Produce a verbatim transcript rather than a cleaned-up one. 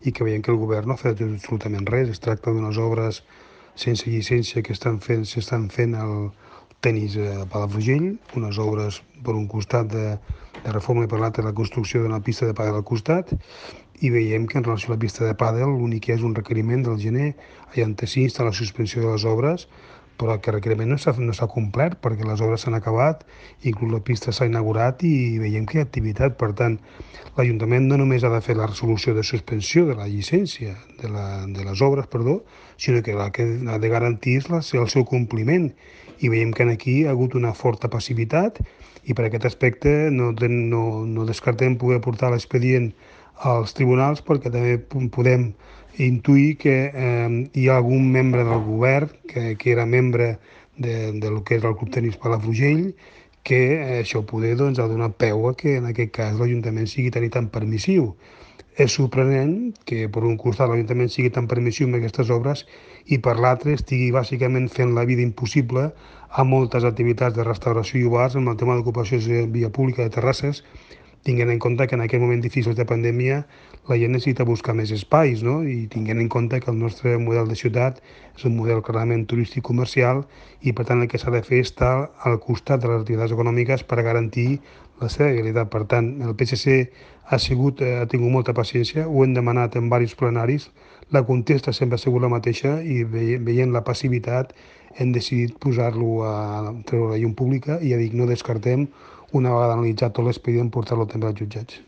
i que veiem que el govern no ha fet absolutament res. Es tracta d'unes obres sense llicència que estan fent, s'estan fent al tenis a Palafrugell, unes obres per un costat de, de reforma i per l'altre la construcció d'una pista de pàdel al costat, i veiem que en relació a la pista de pàdel l'únic que és un requeriment del gener allà sí està la suspensió de les obres, però que el requeriment no s'ha no s'ha complert perquè les obres s'han acabat, inclús la pista s'ha inaugurat i veiem que hi ha activitat. Per tant, l'Ajuntament no només ha de fer la resolució de suspensió de la llicència de, la, de les obres, perdó, sinó que la que ha de garantir la, el seu compliment. I veiem que aquí hi ha hagut una forta passivitat i per aquest aspecte no, no, no descartem poder portar l'expedient als tribunals perquè també podem intuir que eh, hi ha algun membre del govern que, que era membre de, de lo que és el Club Tenis Palafrugell que eh, això poder doncs, ha donat peu a que en aquest cas l'Ajuntament sigui tan i tan permissiu. És sorprenent que per un costat l'Ajuntament sigui tan permissiu amb aquestes obres i per l'altre estigui bàsicament fent la vida impossible a moltes activitats de restauració i bars amb el tema d'ocupació de via pública de terrasses, tinguent en compte que en aquest moment difícil de pandèmia la gent necessita buscar més espais, no? I tinguent en compte que el nostre model de ciutat és un model clarament turístic comercial i per tant el que s'ha de fer és estar al costat de les activitats econòmiques per garantir la seva viabilitat. Per tant, el P S C ha, sigut, ha tingut molta paciència, ho hem demanat en diversos plenaris, la contesta sempre ha sigut la mateixa i veient la passivitat hem decidit posar-lo a treure la llum pública i ja dic, no descartem una vegada analitzat tot l'expedient portar-lo també als jutjats.